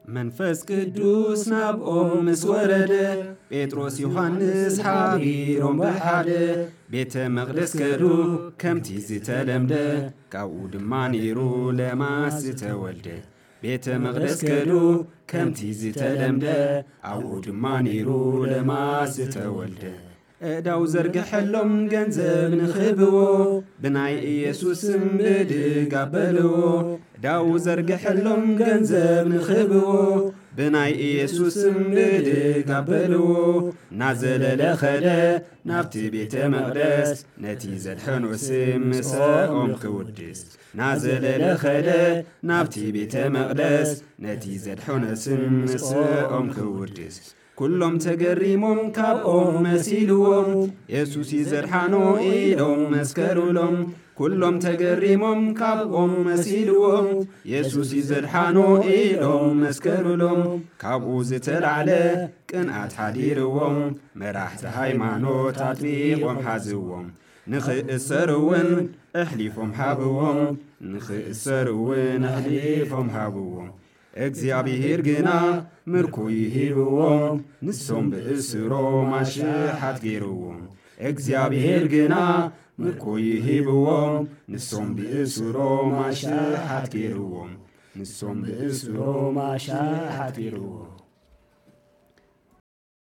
መንፈስ ቅዱስ ናብኦም ምስ ወረደ፣ ጴጥሮስ ዮሃንስ ሓቢሮም ብሓደ፣ ቤተ መቕደስ ከዱ ከምቲ ዝተለምደ፣ ካብኡ ድማ ነይሩ ለማስ ዝተወልደ። ቤተ መቕደስ ከዱ ከምቲ ዝተለምደ፣ ኣብኡ ድማ ነይሩ ለማስ ዝተወልደ። ዕዳው ዘርግሐሎም ገንዘብ ንኽህብዎ፣ ብናይ ኢየሱስ ስም ብድግ ኣበልዎ። ዕዳው ዘርግሐሎም ገንዘብ ንኽህብዎ፣ ብናይ ኢየሱስ ስም ብድግ ኣበልዎ። ናዘለለ ኸደ ናብቲ ቤተ መቕደስ፣ ነቲ ዘድሐኖ ስም ምስኦም ክውድስ። ናዘለለ ኸደ ናብቲ ቤተ መቕደስ፣ ነቲ ዘድሐኖ ስም ምስኦም ክውድስ። ኩሎም ተገሪሞም ካብኦም መሲልዎም፣ የሱስ እዩ ዘድሓኖ ኢሎም መስከሩሎም። ኩሎም ተገሪሞም ካብኦም መሲልዎም፣ የሱስ እዩ ዘድሓኖ ኢሎም መስከሩሎም። ካብኡ ዝተላዕለ ቅንኣት ሓዲርዎም፣ መራሕቲ ሃይማኖት ኣጥቢቖም ሓዝዎም። ንኽእሰሩ እውን ኣሕሊፎም ሃብዎም፣ ንኽእሰሩ እውን ኣሕሊፎም ሃብዎም። እግዚኣብሔር ግና ምርኮ ይሂብዎም፣ ንሶም ብእስሮም ኣሽሓት ገይርዎም። እግዚኣብሔር ግና ምርኮ ይሂብዎም፣ ንሶም ብእስሮም ኣሽሓት ገይርዎም። ንሶም ብእስሮም ኣሽሓት ገይርዎም።